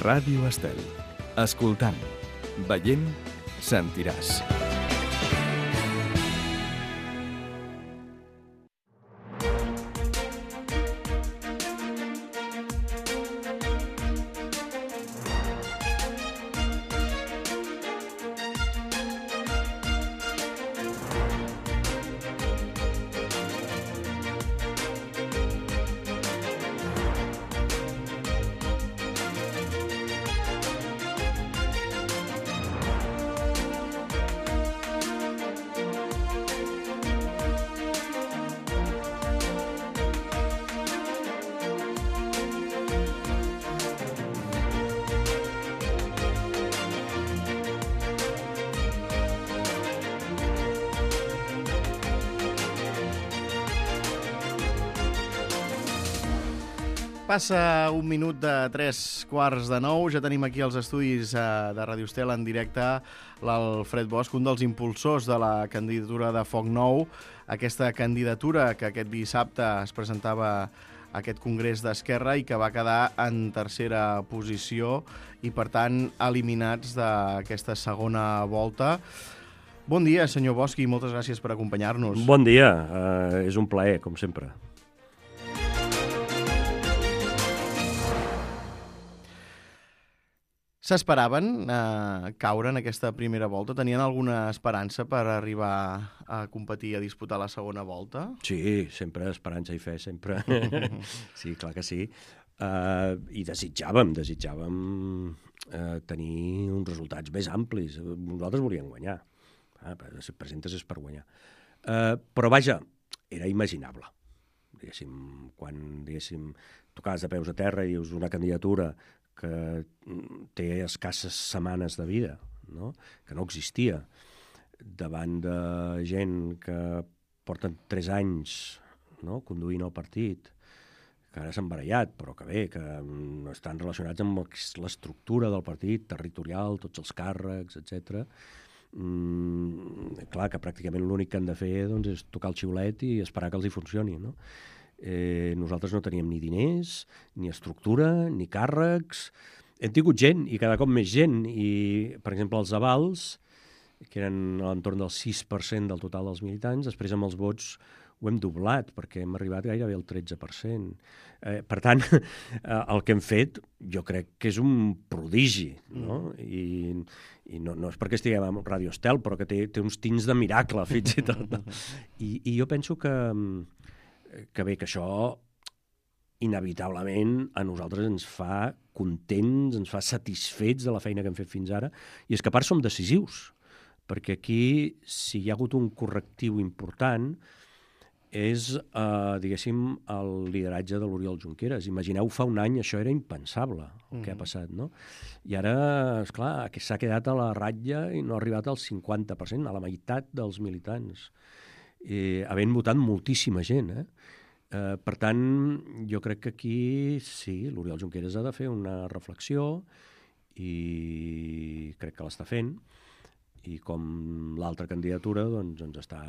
Ràdio Estel. Escoltant, veient, sentiràs. Passa un minut de 3:15, ja tenim aquí als estudis de Ràdio Estel en directe l'Alfred Bosch, un dels impulsors de la candidatura de Foc Nou, aquesta candidatura que aquest dissabte es presentava a aquest congrés d'Esquerra i que va quedar en tercera posició i, per tant, eliminats d'aquesta segona volta. Bon dia, senyor Bosch, i moltes gràcies per acompanyar-nos. Bon dia, és un plaer, com sempre. S'esperaven caure en aquesta primera volta? Tenien alguna esperança per arribar a competir, a disputar la segona volta? Sí, sempre esperança i fe, sempre. Sí, clar que sí. I desitjàvem tenir uns resultats més amplis. Nosaltres volíem guanyar. Si et presentes és per guanyar. Però vaja, era imaginable. Quan tocaves de peus a terra i dius una candidatura que té escasses setmanes de vida, no? Que no existia, davant de gent que porten 3 anys, no? Conduint el partit, que ara s'han barallat, però que bé, que estan relacionats amb l'estructura del partit, territorial, tots els càrrecs, etc. Clar, que pràcticament l'únic que han de fer doncs, és tocar el xiulet i esperar que els hi funcioni, no? Nosaltres no teníem ni diners, ni estructura, ni càrrecs. Hem tingut gent, i cada cop més gent. I, per exemple, els avals, que eren a l'entorn del 6% del total dels militants, després amb els vots ho hem doblat, perquè hem arribat gairebé al 13%. Per tant, el que hem fet jo crec que és un prodigi, no? I no és perquè estiguem a Ràdio Estel, però que té uns tints de miracle, fins i tot. I jo penso que bé, que això inevitablement a nosaltres ens fa contents, ens fa satisfets de la feina que hem fet fins ara, i és que a part som decisius, perquè aquí, si hi ha hagut un correctiu important, és, diguéssim, el lideratge de l'Oriol Junqueras. Imagineu, fa un any això era impensable, el que ha passat, no? I ara, esclar, s'ha quedat a la ratlla i no ha arribat al 50%, a la meitat dels militants, havent votat moltíssima gent, per tant, jo crec que aquí sí, l'Oriol Junqueras ha de fer una reflexió i crec que l'està fent, i com l'altra candidatura doncs ens està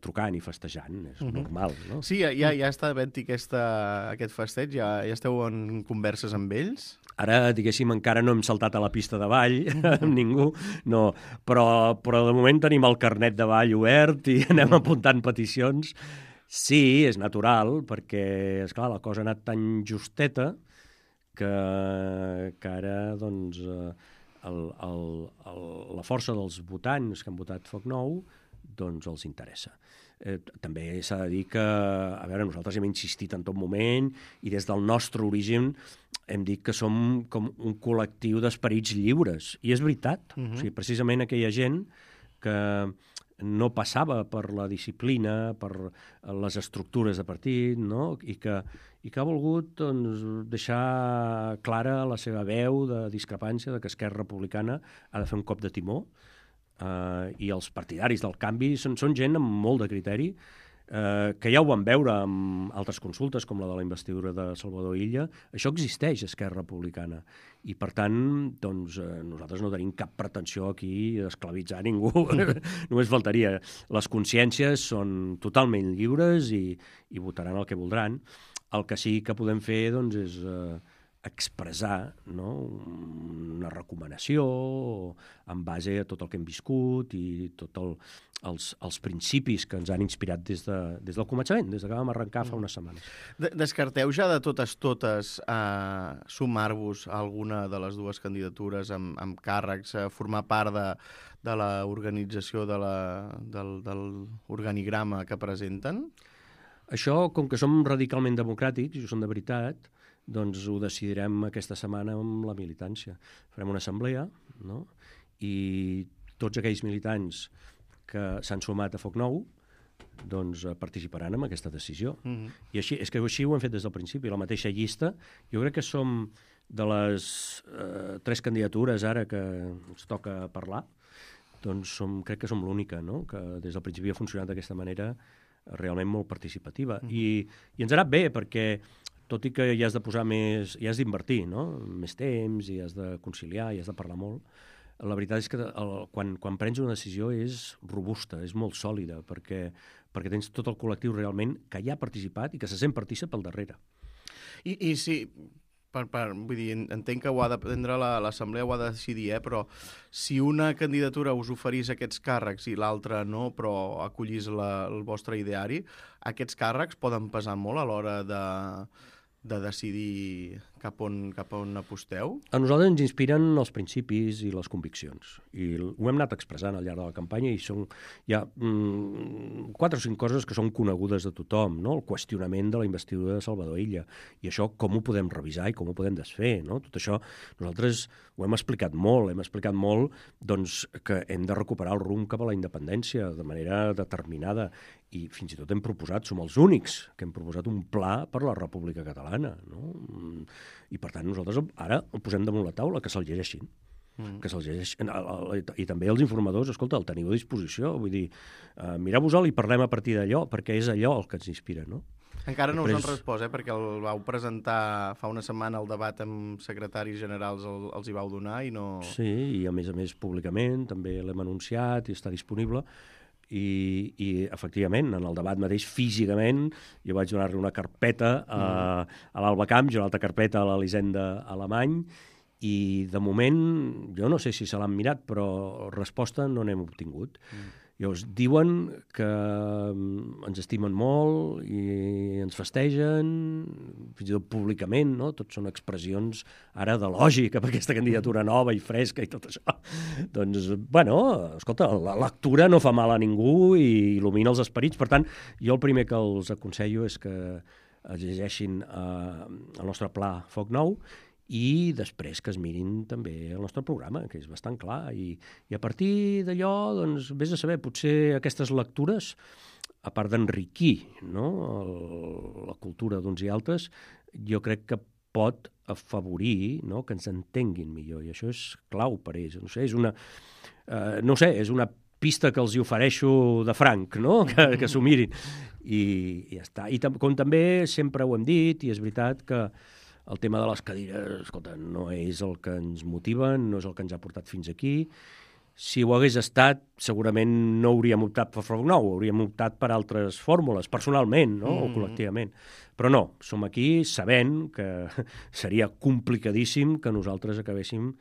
trucant i festejant, és normal, no? Sí, ja està havent-hi aquest festeig, ja esteu en converses amb ells? Ara, diguéssim, encara no hem saltat a la pista de ball amb ningú, no, però de moment tenim el carnet de ball obert i anem apuntant peticions. Sí, és natural, perquè, esclar, la cosa ha anat tan justeta que ara, doncs, la força dels votants que han votat Foc Nou, doncs els interessa. També s'ha de dir que, a veure, nosaltres hem insistit en tot moment i des del nostre origen hem dit que som com un col·lectiu d'esperits lliures. I és veritat. O sigui, precisament aquella gent que no passava per la disciplina, per les estructures de partit, no? I que ha volgut doncs, deixar clara la seva veu de discrepància de que Esquerra Republicana ha de fer un cop de timó, i els partidaris del canvi són gent amb molt de criteri, que ja ho vam veure amb altres consultes, com la de la investidura de Salvador Illa. Això existeix a Esquerra Republicana. I, per tant, doncs, nosaltres no tenim cap pretensió aquí d'esclavitzar ningú. Només faltaria. Les consciències són totalment lliures i votaran el que voldran. El que sí que podem fer doncs, és expressar, no?, una recomanació en base a tot el que hem viscut i tots els principis que ens han inspirat des del començament, des que vam arrencar fa unes setmanes. Descarteu ja de totes sumar-vos a alguna de les dues candidatures amb càrrecs, formar part de l'organització del organigrama que presenten? Això, com que som radicalment democràtics, i ho som de veritat, doncs ho decidirem aquesta setmana amb la militància. Farem una assemblea, no?, i tots aquells militants que s'han sumat a Foc Nou doncs participaran en aquesta decisió. I així, és que així ho hem fet des del principi, la mateixa llista. Jo crec que som de les 3 candidatures ara que ens toca parlar, doncs crec que som l'única, no?, que des del principi ha funcionat d'aquesta manera realment molt participativa. I ens ha anat bé, perquè tot i que hi has de posar més, hi has d'invertir, no?, més temps, hi has de conciliar, hi has de parlar molt, la veritat és que quan prens una decisió és robusta, és molt sòlida, perquè tens tot el col·lectiu realment que hi ha participat i que se sent partícip al darrere. I sí, vull dir, entenc que ho ha de prendre l'assemblea, ho ha de decidir, però si una candidatura us oferís aquests càrrecs i l'altra no, però acollís el vostre ideari, aquests càrrecs poden pesar molt a l'hora de decidir cap on aposteu? A nosaltres ens inspiren els principis i les conviccions. I ho hem anat expressant al llarg de la campanya i hi ha 4 o 5 coses que són conegudes de tothom, no? El qüestionament de la investidura de Salvador Illa. I això com ho podem revisar i com ho podem desfer, no? Tot això nosaltres ho hem explicat molt, doncs, que hem de recuperar el rumb cap a la independència de manera determinada. I fins i tot hem proposat, som els únics que hem proposat un pla per la República Catalana, no? I per tant nosaltres ara ho posem damunt la taula, que se'l llegeixin. Que se'l llegeixin. I també els informadors, escolta, el teniu a disposició, vull dir, mireu-vos-el i parlem a partir d'allò, perquè és allò el que ens inspira, no? Encara no us han respost, perquè el vau presentar fa una setmana el debat amb secretaris generals, els hi vau donar i no... Sí, i a més públicament, també l'hem anunciat i està disponible. I efectivament, en el debat mateix, físicament, jo vaig donar-li una carpeta a l'Alba Camps i una altra carpeta a l'Elisenda Alemany, i de moment, jo no sé si se l'han mirat, però resposta no n'hem obtingut. Llavors, diuen que ens estimen molt i ens festegen, fins i tot públicament, no? Tot són expressions ara de lògica per aquesta candidatura nova i fresca i tot això. Doncs, bueno, escolta, la lectura no fa mal a ningú i il·lumina els esperits. Per tant, jo el primer que els aconsello és que es llegeixin el nostre pla Foc Nou i després que es mirin també el nostre programa, que és bastant clar. I a partir d'allò, doncs, vés a saber, potser aquestes lectures, a part d'enriquir, no?, la cultura d'uns i altres, jo crec que pot afavorir, no?, que ens entenguin millor, i això és clau per ells. És una pista que els hi ofereixo de franc, no?, que s'ho mirin. I ja està. I com també sempre ho hem dit, i és veritat que el tema de les cadires, escolta, no és el que ens motiva, no és el que ens ha portat fins aquí. Si ho hagués estat, segurament no hauríem optat per Foc Nou, hauríem optat per altres fórmules, personalment, no?, o col·lectivament. Però no, som aquí sabent que seria complicadíssim que nosaltres acabéssim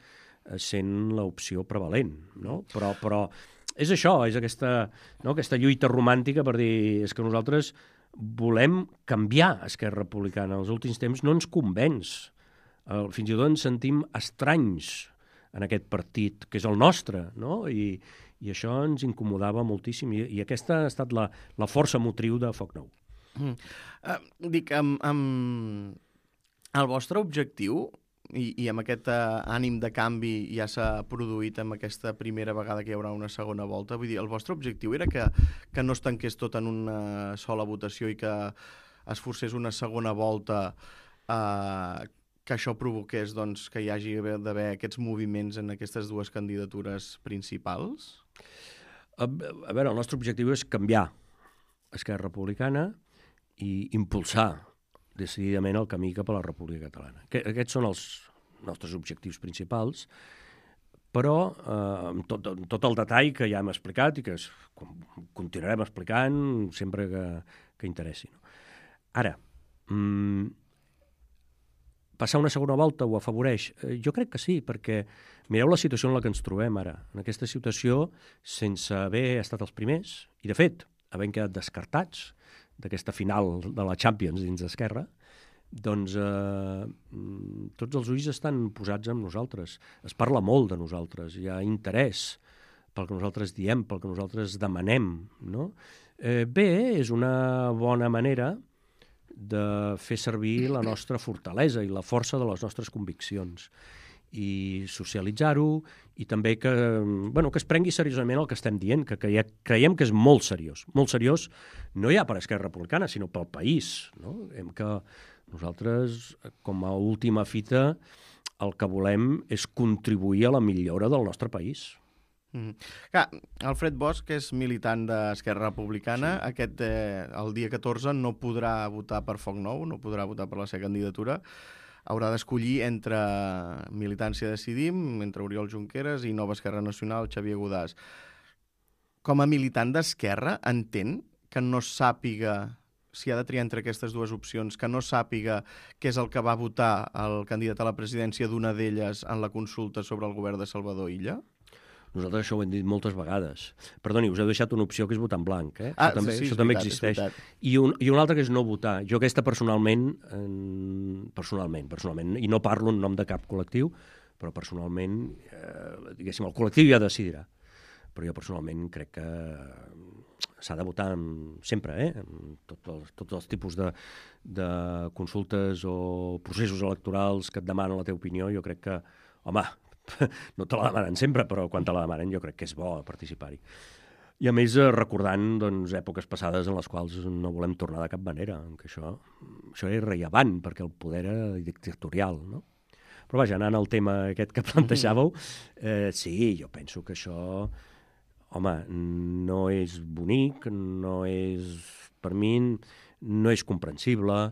sent l'opció prevalent, no? Però és això, és aquesta lluita romàntica per dir, és que nosaltres volem canviar Esquerra Republicana. En els últims temps no ens convenç. Fins i tot ens sentim estranys en aquest partit, que és el nostre, no? I això ens incomodava moltíssim. I aquesta ha estat la força motriu de Foc Nou. Dic, el vostre objectiu, i amb aquest ànim de canvi ja s'ha produït amb aquesta primera vegada que hi haurà una segona volta, vull dir, el vostre objectiu era que no es tanqués tot en una sola votació i que es forcés una segona volta, que això provoqués, doncs, que hi hagi d'haver aquests moviments en aquestes dues candidatures principals? A veure, el nostre objectiu és canviar Esquerra Republicana i impulsar decididament el camí cap a la República Catalana. Aquests són els nostres objectius principals, però amb tot el detall que ja hem explicat i que continuarem explicant sempre que interessi. Ara, passar una segona volta ho afavoreix? Jo crec que sí, perquè mireu la situació en la que ens trobem ara. En aquesta situació, sense haver estat els primers, i de fet, havent quedat descartats d'aquesta final de la Champions dins d'Esquerra, doncs tots els ulls estan posats en nosaltres. Es parla molt de nosaltres, hi ha interès pel que nosaltres diem, pel que nosaltres demanem, no? Bé, és una bona manera de fer servir la nostra fortalesa i la força de les nostres conviccions i socialitzar-ho i també que es prengui seriosament el que estem dient, que creiem que és molt seriós. Molt seriós no ja per Esquerra Republicana, sinó pel país. No? Que nosaltres, com a última fita, el que volem és contribuir a la millora del nostre país. Clar, Alfred Bosch és militant d'Esquerra Republicana. Sí. El dia 14 no podrà votar per Foc Nou, no podrà votar per la seva candidatura. Haurà d'escollir entre Militància Decidim, entre Oriol Junqueras i Nova Esquerra Nacional, Xavier Godàs. Com a militant d'Esquerra, entén que no sàpiga, si ha de triar entre aquestes dues opcions, que no sàpiga què és el que va votar el candidat a la presidència d'una d'elles en la consulta sobre el govern de Salvador Illa? Nosaltres això ho hem dit moltes vegades. Perdoni, us heu deixat una opció que és votar en blanc. Això també existeix. I una altra que és no votar. Jo aquesta personalment, i no parlo en nom de cap col·lectiu, però personalment, diguéssim, el col·lectiu ja decidirà. Però jo personalment crec que s'ha de votar sempre, tots els tipus de consultes o processos electorals que et demanen la teva opinió. Jo crec que, home, no te la demanen sempre, però quan te la demanen jo crec que és bo participar-hi. I a més recordant èpoques passades en les quals no volem tornar de cap manera, que això és rellevant perquè el poder era dictatorial, no? Però vaja, anant al tema aquest que plantejàveu, sí, jo penso que això, home, no és bonic, no és, per mi, no és comprensible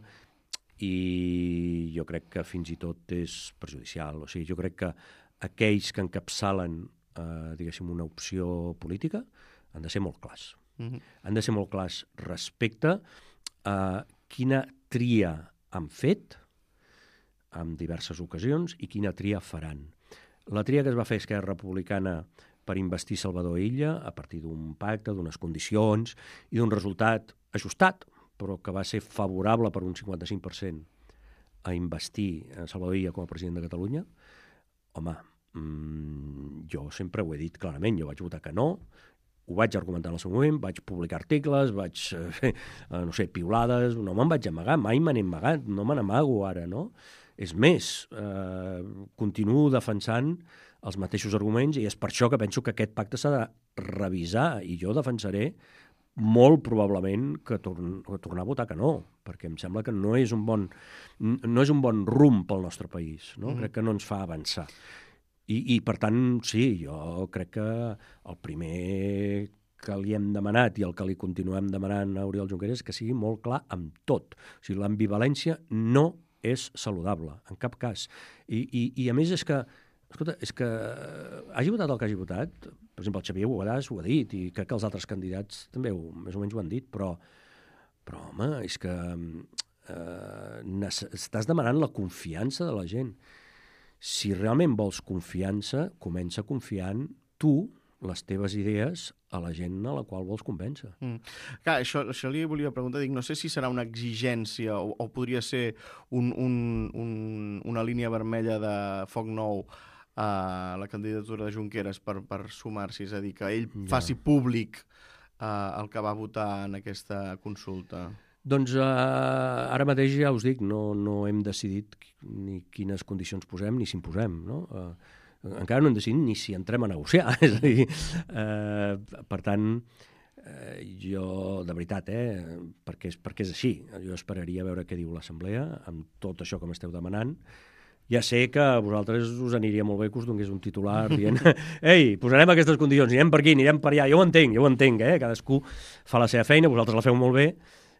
i jo crec que fins i tot és perjudicial. O sigui, jo crec que aquells que encapçalen, diguéssim, una opció política han de ser molt clars. Han de ser molt clars respecte a quina tria han fet en diverses ocasions i quina tria faran. La tria que es va fer Esquerra Republicana per investir Salvador Illa a partir d'un pacte, d'unes condicions i d'un resultat ajustat, però que va ser favorable per un 55% a investir Salvador Illa com a president de Catalunya, home, jo sempre ho he dit clarament, jo vaig votar que no, ho vaig argumentar en el seu moment, vaig publicar articles, vaig fer, piulades, no me'n vaig amagar, mai me n'he amagat, no me n'amago ara, no? És més, continuo defensant els mateixos arguments i és per això que penso que aquest pacte s'ha de revisar i jo defensaré molt probablement que tornar a votar que no, perquè em sembla que no és un bon rumb pel nostre país, no? Crec que no ens fa avançar. I per tant, sí, jo crec que el primer que li hem demanat i el que li continuem demanant a Oriol Junqueras és que sigui molt clar amb tot. O sigui, l'ambivalència no és saludable, en cap cas. I a més és que, escolta, hagi votat el que hagi votat, per exemple, el Xavier Godàs ho ha dit i crec que els altres candidats també més o menys ho han dit, però home, és que estàs demanant la confiança de la gent. Si realment vols confiança, comença confiant tu, les teves idees, a la gent a la qual vols convèncer. Clar, això li volia preguntar, no sé si serà una exigència o podria ser una línia vermella de Foc Nou a la candidatura de Junqueras per sumar-s'hi, és a dir, que ell faci públic el que va votar en aquesta consulta. Doncs ara mateix ja us dic, no hem decidit ni quines condicions posem ni si imposem, no? Encara no hem decidit ni si entrem a negociar, és a dir, per tant, jo, de veritat, perquè és així, jo esperaria veure què diu l'Assemblea amb tot això que m'esteu demanant. Ja sé que a vosaltres us aniria molt bé que us donés un titular dient ei, posarem aquestes condicions, anirem per aquí, anirem per allà, jo ho entenc, cadascú fa la seva feina, vosaltres la feu molt bé,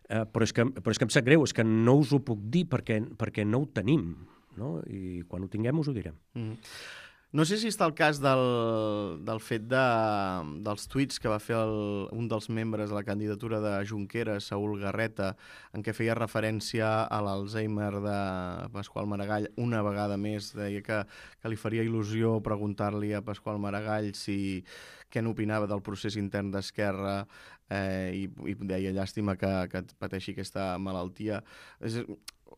però és que em sap greu, és que no us ho puc dir perquè no ho tenim, no? I quan ho tinguem us ho direm. No sé si està el cas del fet dels tuits que va fer un dels membres de la candidatura de Junqueras, Saúl Garreta, en què feia referència a l'Alzheimer de Pasqual Maragall. Una vegada més deia que li faria il·lusió preguntar-li a Pasqual Maragall què n'opinava del procés intern d'Esquerra i deia llàstima que pateixi aquesta malaltia.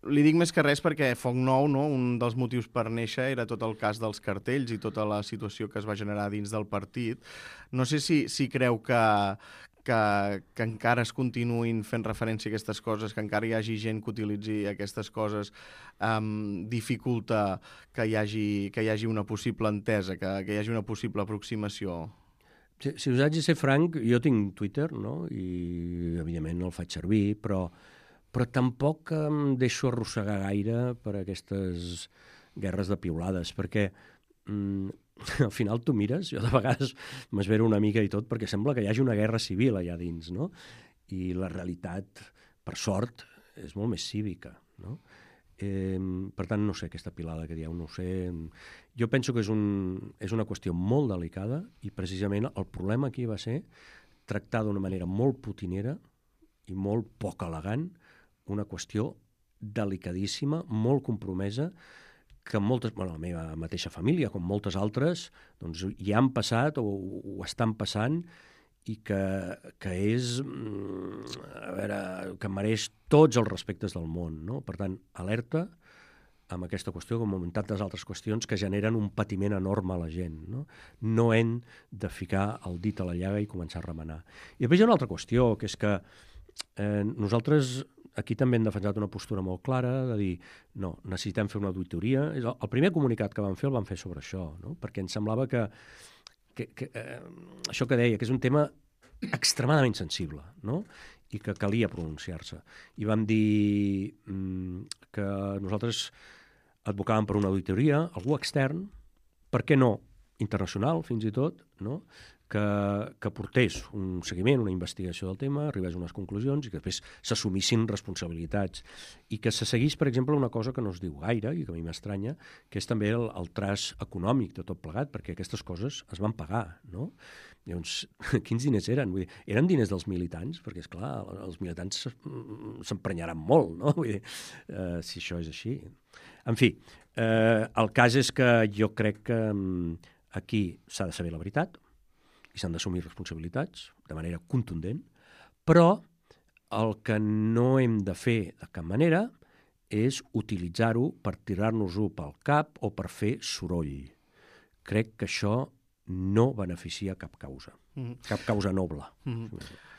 Li dic més que res perquè Foc Nou, no? Un dels motius per néixer era tot el cas dels cartells i tota la situació que es va generar dins del partit. No sé si creu que encara es continuïn fent referència a aquestes coses, que encara hi hagi gent que utilitzi aquestes coses, dificulta que hi hagi una possible entesa, que hi hagi una possible aproximació. Si us haig de ser franc, jo tinc Twitter, no? I evidentment el faig servir, però tampoc em deixo arrossegar gaire per aquestes guerres de piulades, perquè al final tu mires, jo de vegades m'esvero una mica i tot, perquè sembla que hi hagi una guerra civil allà dins, no? I la realitat, per sort, és molt més cívica, no? Per tant, no sé, aquesta pilada que dieu, no ho sé. Jo penso que és una qüestió molt delicada i precisament el problema aquí va ser tractar d'una manera molt putinera i molt poc elegant una qüestió delicadíssima, molt compromesa, que la meva mateixa família, com moltes altres, doncs hi han passat o ho estan passant i que és, que mereix tots els respectes del món, no? Per tant, alerta amb aquesta qüestió, com en tantes altres qüestions que generen un patiment enorme a la gent, no? No hem de ficar el dit a la llaga i començar a remenar. I després hi ha una altra qüestió, que és que nosaltres aquí també hem defensat una postura molt clara de dir, no, necessitem fer una auditoria. El primer comunicat que vam fer el vam fer sobre això, no? Perquè ens semblava que això que deia, que és un tema extremadament sensible, no? I que calia pronunciar-se. I vam dir que nosaltres advocàvem per una auditoria, algú extern, per què no, internacional fins i tot, no? Que portés un seguiment, una investigació del tema, arribés a unes conclusions i que després s'assumissin responsabilitats. I que se seguís, per exemple, una cosa que no es diu gaire i que a mi m'estranya, que és també el traç econòmic de tot plegat, perquè aquestes coses es van pagar, no? Llavors, quins diners eren? Vull dir, eren diners dels militants, perquè, esclar, els militants s'emprenyaran molt, no? Vull dir, si això és així. En fi, el cas és que jo crec que aquí s'ha de saber la veritat, i s'han d'assumir responsabilitats de manera contundent, però el que no hem de fer de cap manera és utilitzar-ho per tirar-nos-ho pel cap o per fer soroll. Crec que això no beneficia cap causa, cap causa noble.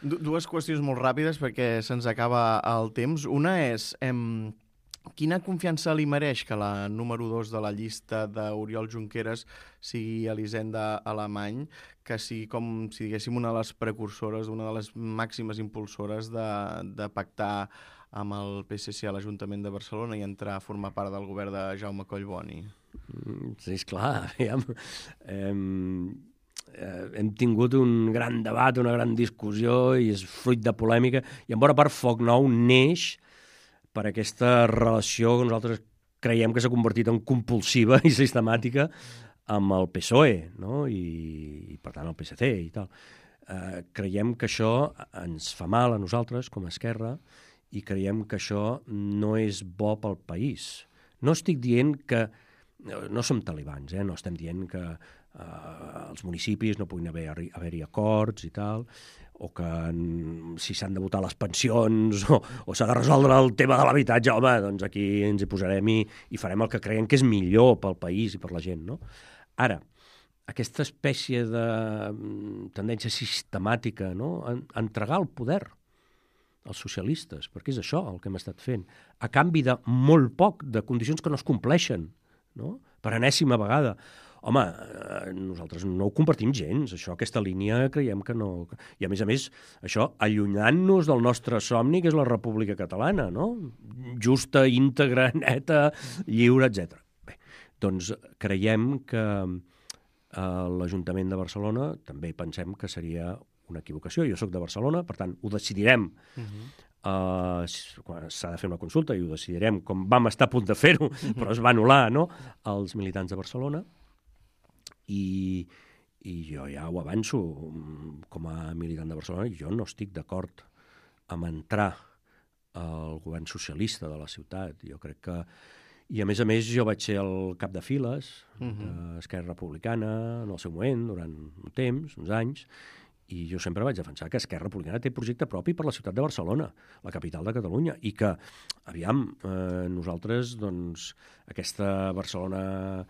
Dues qüestions molt ràpides perquè se'ns acaba el temps. Una és... Quina confiança li mereix que la número 2 de la llista d'Oriol Junqueras sigui Elisenda Alemany, que sigui com si diguéssim una de les precursores, una de les màximes impulsores de pactar amb el PSC a l'Ajuntament de Barcelona i entrar a formar part del govern de Jaume Collboni? Sí, esclar. Hem tingut un gran debat, una gran discussió i és fruit de polèmica i en bona part Foc Nou neix per aquesta relació que nosaltres creiem que s'ha convertit en compulsiva i sistemàtica amb el PSOE, no? I per tant el PSC i tal. Creiem que això ens fa mal a nosaltres com a Esquerra i creiem que això no és bo pel país. No estic dient que... No som talibans, no estem dient que als municipis no puguin haver-hi acords i tal, o que si s'han de votar les pensions o s'ha de resoldre el tema de l'habitatge, home, doncs aquí ens hi posarem i farem el que creiem que és millor pel país i per la gent, no? Ara, aquesta espècie de tendència sistemàtica, no? A entregar el poder als socialistes, perquè és això el que hem estat fent, a canvi de molt poc, de condicions que no es compleixen, no? Per enèsima vegada. Home, nosaltres no ho compartim gens, això, aquesta línia creiem que no... I a més, això allunyant-nos del nostre somni, que és la República Catalana, no? Justa, íntegra, neta, lliure, etc. Bé, doncs creiem que l'Ajuntament de Barcelona també pensem que seria una equivocació. Jo sóc de Barcelona, per tant, ho decidirem. S'ha de fer una consulta i ho decidirem com vam estar a punt de fer-ho, però es va anul·lar, no?, als militants de Barcelona. I jo ja ho avanço, com a militant de Barcelona, jo no estic d'acord amb entrar al govern socialista de la ciutat. Jo crec que... I a més, jo vaig ser el cap de files d'Esquerra Republicana en el seu moment, durant un temps, uns anys, i jo sempre vaig defensar que Esquerra Republicana té projecte propi per la ciutat de Barcelona, la capital de Catalunya, i que, aviam, nosaltres, doncs, aquesta Barcelona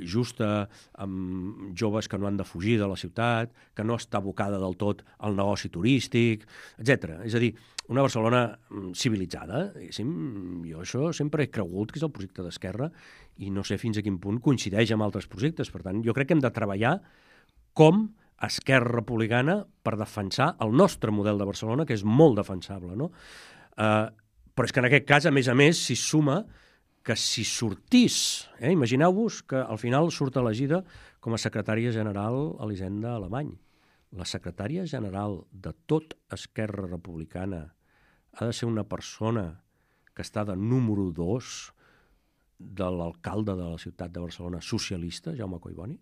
justa, amb joves que no han de fugir de la ciutat, que no està abocada del tot al negoci turístic, etc. És a dir, una Barcelona civilitzada. Jo això sempre he cregut que és el projecte d'Esquerra i no sé fins a quin punt coincideix amb altres projectes. Per tant, jo crec que hem de treballar com Esquerra Republicana per defensar el nostre model de Barcelona, que és molt defensable, no? Però és que en aquest cas, a més, s'hi suma que si sortís, imagineu-vos que al final surt elegida com a secretària general Elisenda Alemany. La secretària general de tot Esquerra Republicana ha de ser una persona que està de número 2 de l'alcalde de la ciutat de Barcelona socialista, Jaume Collboni.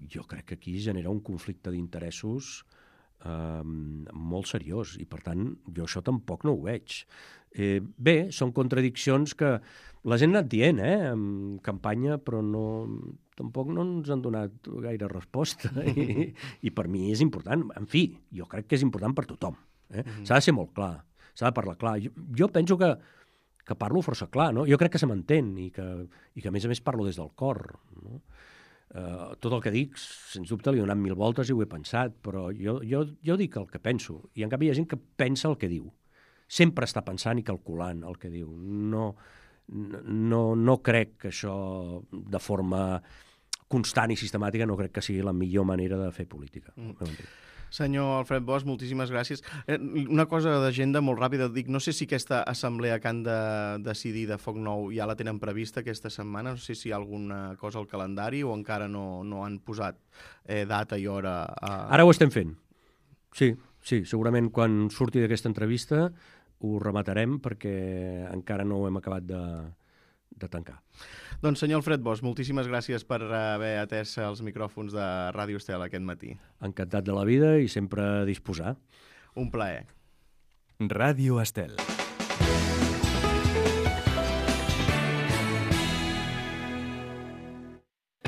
Jo crec que aquí genera un conflicte d'interessos molt seriós i, per tant, jo això tampoc no ho veig. Bé, són contradiccions que la gent ha anat dient en campanya, però tampoc no ens han donat gaire resposta i per mi és important. En fi, jo crec que és important per tothom. S'ha de ser molt clar, s'ha de parlar clar. Jo penso que parlo força clar, no? Jo crec que se m'entén i que a més parlo des del cor, no? Tot el que dic, sens dubte, li he donat 1000 voltes i ho he pensat, però jo dic el que penso, i en canvi hi ha gent que pensa el que diu. Sempre està pensant i calculant el que diu. No crec que això, de forma constant i sistemàtica, no crec que sigui la millor manera de fer política. Senyor Alfred Bosch, moltíssimes gràcies. Una cosa d'agenda molt ràpida, dic, no sé si aquesta assemblea que han de decidir de Foc Nou ja la tenen prevista aquesta setmana, no sé si hi ha alguna cosa al calendari o encara no han posat data i hora. Ara ho estem fent. Sí, segurament quan surti d'aquesta entrevista ho rematarem perquè encara no ho hem acabat de tancar. Doncs senyor Alfred Bosch, moltíssimes gràcies per haver atès els micròfons de Ràdio Estel aquest matí. Encantat de la vida i sempre a disposar. Un plaer. Ràdio Estel.